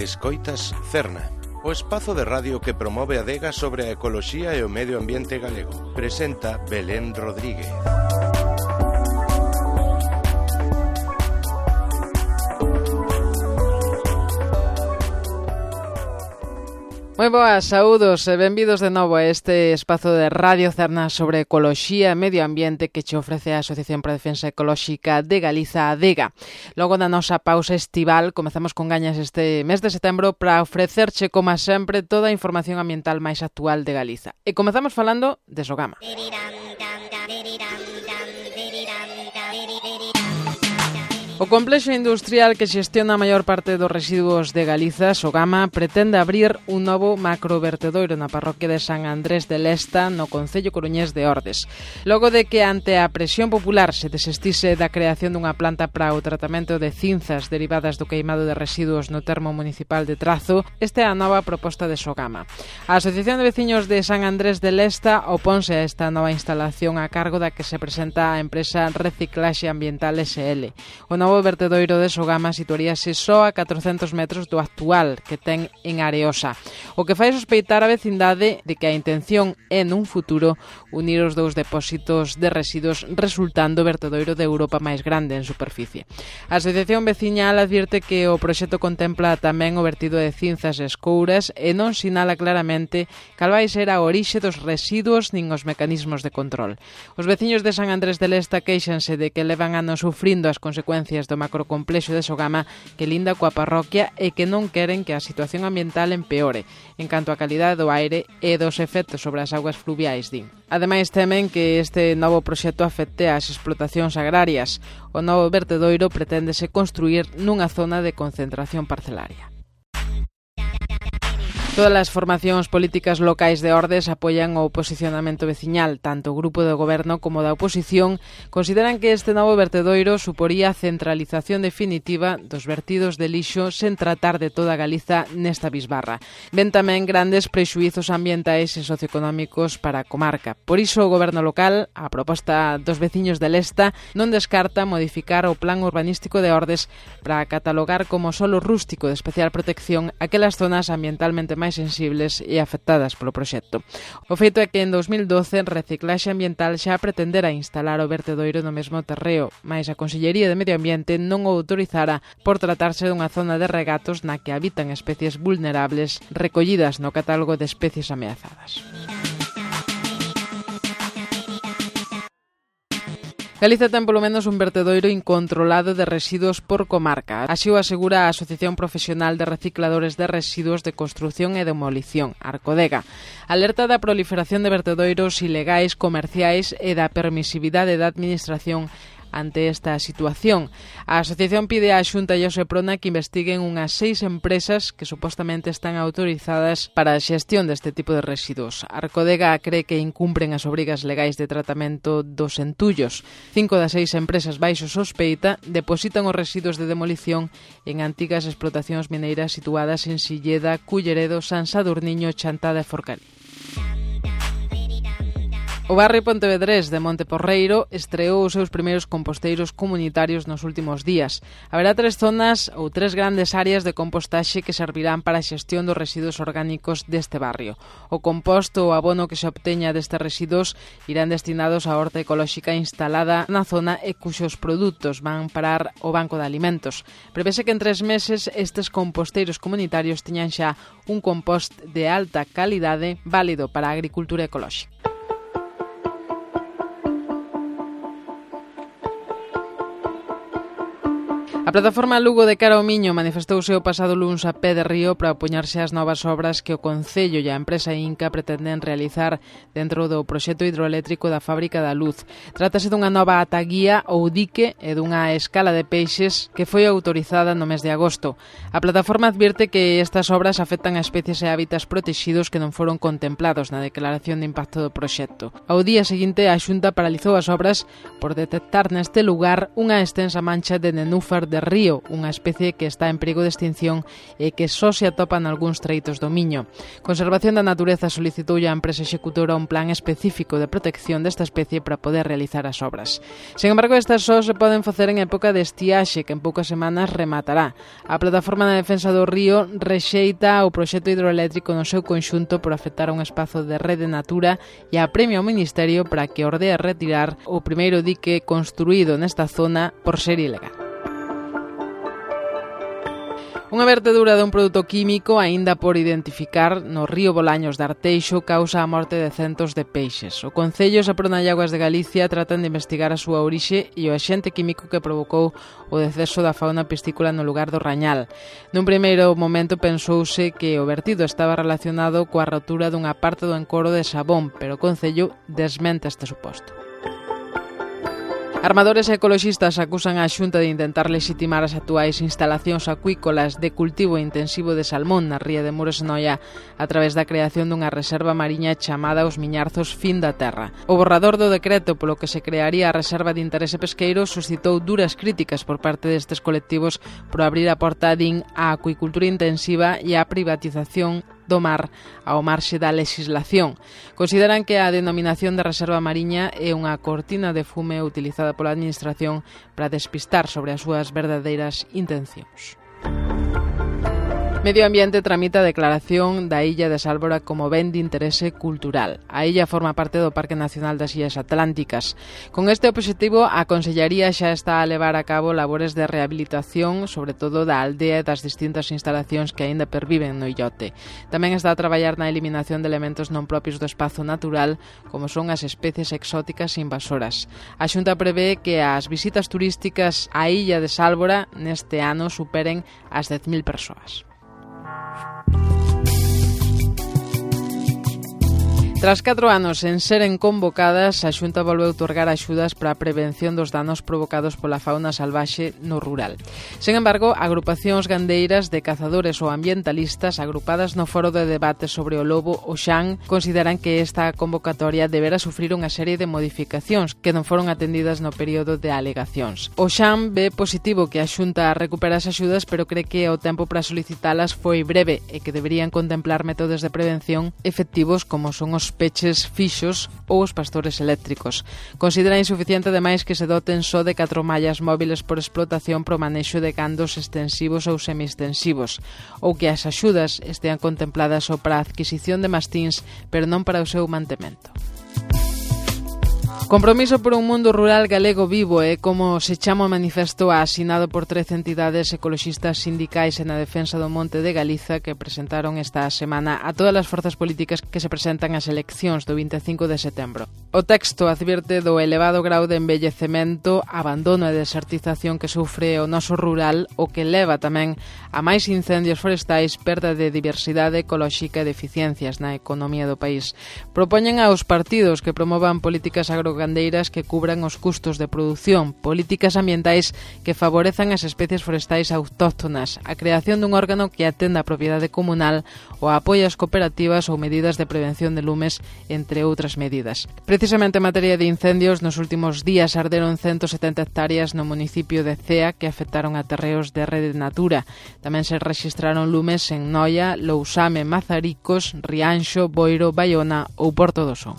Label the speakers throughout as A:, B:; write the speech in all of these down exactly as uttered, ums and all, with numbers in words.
A: Escoitas Cerna, o espazo de radio que promove a adega sobre a ecoloxía e o medio ambiente galego. Presenta Belén Rodríguez.
B: Moi boas, saúdos e benvidos de novo a este espazo de Radio Cerna sobre ecoloxía e medio ambiente que che ofrece a Asociación para a Defensa Ecolóxica de Galiza, ADEGA. Logo da nosa pausa estival, comezamos con gañas este mes de setembro para ofrecerche, como sempre, toda a información ambiental máis actual de Galiza. E comezamos falando de Sogama. O complexo industrial que xestiona a maior parte dos residuos de Galiza, Sogama, pretende abrir un novo macrovertedoiro na parroquia de San Andrés de Lesta, no concello coruñés de Ordes. Logo de que ante a presión popular se desistise da creación dunha planta para o tratamento de cinzas derivadas do queimado de residuos no termo municipal de Trazo, esta é a nova proposta de Sogama. A Asociación de Veciños de San Andrés de Lesta oponse a esta nova instalación a cargo da que se presenta a empresa Reciclaxe Ambiental S L. O novo O vertedoiro de Sogama situaríase só a catrocentos metros do actual que ten en Areosa, o que fai sospeitar a vecindade de que a intención é nun futuro unir os dous depósitos de residuos, resultando o vertedoiro de Europa máis grande en superficie. A Asociación Veciñal advirte que o proxecto contempla tamén o vertido de cinzas e escouras e non sinala claramente cal vai ser a orixe dos residuos nin os mecanismos de control. Os veciños de San Andrés de Lesta queixanse de que levan anos sufrindo as consecuencias do macrocomplexo de Sogama que linda coa parroquia e que non queren que a situación ambiental empeore en canto á calidade do aire e dos efectos sobre as augas fluviais, din. Ademais, temen que este novo proxecto afecte ás explotacións agrarias. O novo vertedoiro preténdese construir nunha zona de concentración parcelaria. Todas as formacións políticas locais de Ordes apoian o posicionamento veciñal. Tanto o grupo do goberno como da oposición consideran que este novo vertedoiro suporía a centralización definitiva dos vertidos de lixo sen tratar de toda Galiza nesta bisbarra. Ven tamén grandes prexuízos ambientais e socioeconómicos para a comarca. Por iso o goberno local, a proposta dos veciños de Lesta, non descarta modificar o plan urbanístico de Ordes para catalogar como solo rústico de especial protección aquelas zonas ambientalmente máis sensibles e afectadas polo proxecto. O feito é que en dos mil doce Reciclaxe Ambiental xa pretendera instalar o vertedoiro no mesmo terreo, mais a Consellería de Medio Ambiente non o autorizara por tratarse dunha zona de regatos na que habitan especies vulnerables recollidas no catálogo de especies ameazadas. Galiza ten polo menos un vertedoiro incontrolado de residuos por comarca. Así o asegura a Asociación Profesional de Recicladores de Residuos de Construción e Demolición, Arcodega. Alerta da proliferación de vertedoiros ilegais, comerciais e da permisividade da administración ante esta situación. A asociación pide á Xunta e ao Seprona que investiguen unhas seis empresas que supostamente están autorizadas para a xestión deste tipo de residuos. Arcodega cree que incumpren as obrigas legais de tratamento dos entullos. Cinco das seis empresas baixo sospeita depositan os residuos de demolición en antigas explotacións mineiras situadas en Silleda, Culleredo, San Sadurniño, Chantada e Forcalí. O barrio pontevedrés de Monteporreiro estreou os seus primeiros composteiros comunitarios nos últimos días. Haberá tres zonas ou tres grandes áreas de compostaxe que servirán para a xestión dos residuos orgánicos deste barrio. O composto ou abono que se obteña destes residuos irán destinados á horta ecolóxica instalada na zona e cuxos produtos van parar o banco de alimentos. Prevese que en tres meses estes composteiros comunitarios teñan xa un compost de alta calidade válido para a agricultura ecolóxica. A plataforma Lugo de Cara ao Miño manifestouse o pasado luns a pé de río para opoñerse ás novas obras que o Concello e a empresa Inca pretenden realizar dentro do proxecto hidroeléctrico da Fábrica da Luz. Trátase dunha nova ataguía ou dique e dunha escala de peixes que foi autorizada no mes de agosto. A plataforma advirte que estas obras afectan a especies e hábitats protegidos que non foron contemplados na declaración de impacto do proxecto. Ao día seguinte, a Xunta paralizou as obras por detectar neste lugar unha extensa mancha de nenúfar de río, unha especie que está en perigo de extinción e que só se atopa nalgúns treitos do Miño. Conservación da Natureza solicitoulle á empresa executora un plan específico de protección desta especie para poder realizar as obras. Sen embargo, estas só se poden facer en época de estiaxe, que en poucas semanas rematará. A Plataforma de Defensa do Río rexeita o proxecto hidroeléctrico no seu conxunto por afectar a un espazo de rede Natura e apremia ao Ministerio para que ordee retirar o primeiro dique construído nesta zona por ser ilegal. Unha vertedura dun produto químico aínda por identificar no río Bolaños de Arteixo causa a morte de centos de peixes. O Concello, Seprona e Augas de Galicia tratan de investigar a súa orixe e o axente químico que provocou o deceso da fauna piscícola no lugar do Rañal. Nun primeiro momento pensouse que o vertido estaba relacionado coa rotura dunha parte do encoro de Sabón, pero o Concello desmente este suposto. Armadores e ecoloxistas acusan a Xunta de intentar lexitimar as actuais instalacións acuícolas de cultivo intensivo de salmón na ría de Muros e Noia a través da creación dunha reserva mariña chamada os Miñarzos Fin da Terra. O borrador do decreto polo que se crearía a reserva de interese pesqueiro suscitou duras críticas por parte destes colectivos por abrir a porta, din, á acuicultura intensiva e á privatización do mar ao marxe da legislación. Consideran que a denominación de reserva mariña é unha cortina de fume utilizada pola Administración para despistar sobre as súas verdadeiras intencións. Medio Ambiente tramita a declaración da Illa de Sálvora como ben de interese cultural. A illa forma parte do Parque Nacional das Illas Atlánticas. Con este obxectivo, a Consellería xa está a levar a cabo labores de rehabilitación, sobre todo da aldea e das distintas instalacións que aínda perviven no illote. Tamén está a traballar na eliminación de elementos non propios do espazo natural, como son as especies exóticas invasoras. A Xunta prevé que as visitas turísticas á Illa de Sálvora neste ano superen as dez mil persoas. Tras catro anos en seren convocadas, a Xunta volveu outorgar axudas para a prevención dos danos provocados pola fauna salvaxe no rural. Sen embargo, agrupacións gandeiras de cazadores ou ambientalistas agrupadas no foro de debate sobre o lobo, o Xan, consideran que esta convocatoria debera sufrir unha serie de modificacións que non foron atendidas no período de alegacións. O Xan ve positivo que a Xunta recupera as axudas, pero cree que o tempo para solicitalas foi breve e que deberían contemplar métodos de prevención efectivos como son os peches fixos ou os pastores eléctricos. Considera insuficiente ademais que se doten só de catro mallas móviles por explotación pro manexo de gandos extensivos ou semi-extensivos, ou que as axudas estean contempladas só para a adquisición de mastíns, pero non para o seu mantemento. Compromiso por un mundo rural galego vivo é como se chama o manifesto asinado por trece entidades ecoloxistas sindicais e na defensa do monte de Galiza que presentaron esta semana a todas as forzas políticas que se presentan ás eleccións do vinte e cinco de setembro. O texto advirte do elevado grau de envellecemento, abandono e desertización que sufre o noso rural, o que leva tamén a máis incendios forestais, perda de diversidade ecolóxica e deficiencias na economía do país. Propoñen aos partidos que promovan políticas agrogandeiras que cubran os custos de produción, políticas ambientais que favorezan as especies forestais autóctonas, a creación dun órgano que atenda a propiedade comunal, o apoio ás cooperativas ou medidas de prevención de lumes, entre outras medidas. Precisamente en materia de incendios, nos últimos días arderon ciento setenta hectáreas no municipio de Cea que afectaron a terreos de Rede Natura. Tamén se rexistraron lumes en Noia, Lousame, Mazaricos, Rianxo, Boiro, Baiona ou Porto do Son.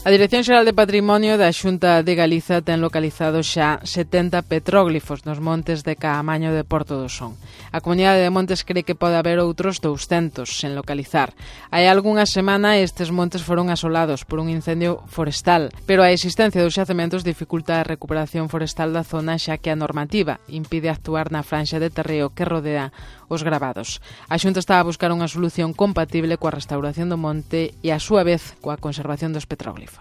B: A Dirección Xeral de Patrimonio da Xunta de Galiza ten localizado xa setenta petróglifos nos montes de Caamaño de Porto do Son. A Comunidade de Montes cree que pode haber outros douscentos sen localizar. Hai algunha semana estes montes foron asolados por un incendio forestal, pero a existencia dos xacementos dificulta a recuperación forestal da zona xa que a normativa impide actuar na franxa de terreo que rodea os gravados. A Xunta está a buscar unha solución compatible coa restauración do monte e a súa vez coa conservación dos petróglifos.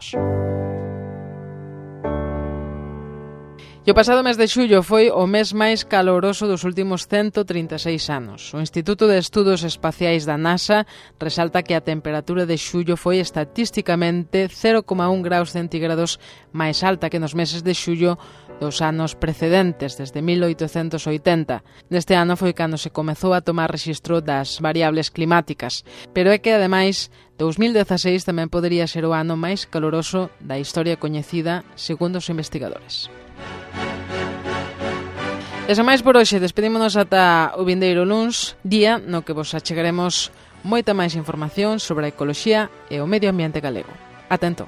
B: E o pasado mes de xullo foi o mes máis caloroso dos últimos ciento trinta e seis anos. O Instituto de Estudos Espaciais da NASA resalta que a temperatura de xullo foi estatísticamente cero coma un graus centígrados máis alta que nos meses de xullo dos anos precedentes, desde mil oitocentos oitenta. Neste ano foi cando se comezou a tomar rexistro das variables climáticas, pero é que, ademais, dous mil dezaseis tamén podería ser o ano máis caloroso da historia coñecida, segundo os investigadores. E sen máis por hoxe, despedímonos ata o vindeiro luns, día no que vos achegaremos moita máis información sobre a ecoloxía e o medio ambiente galego. Atento.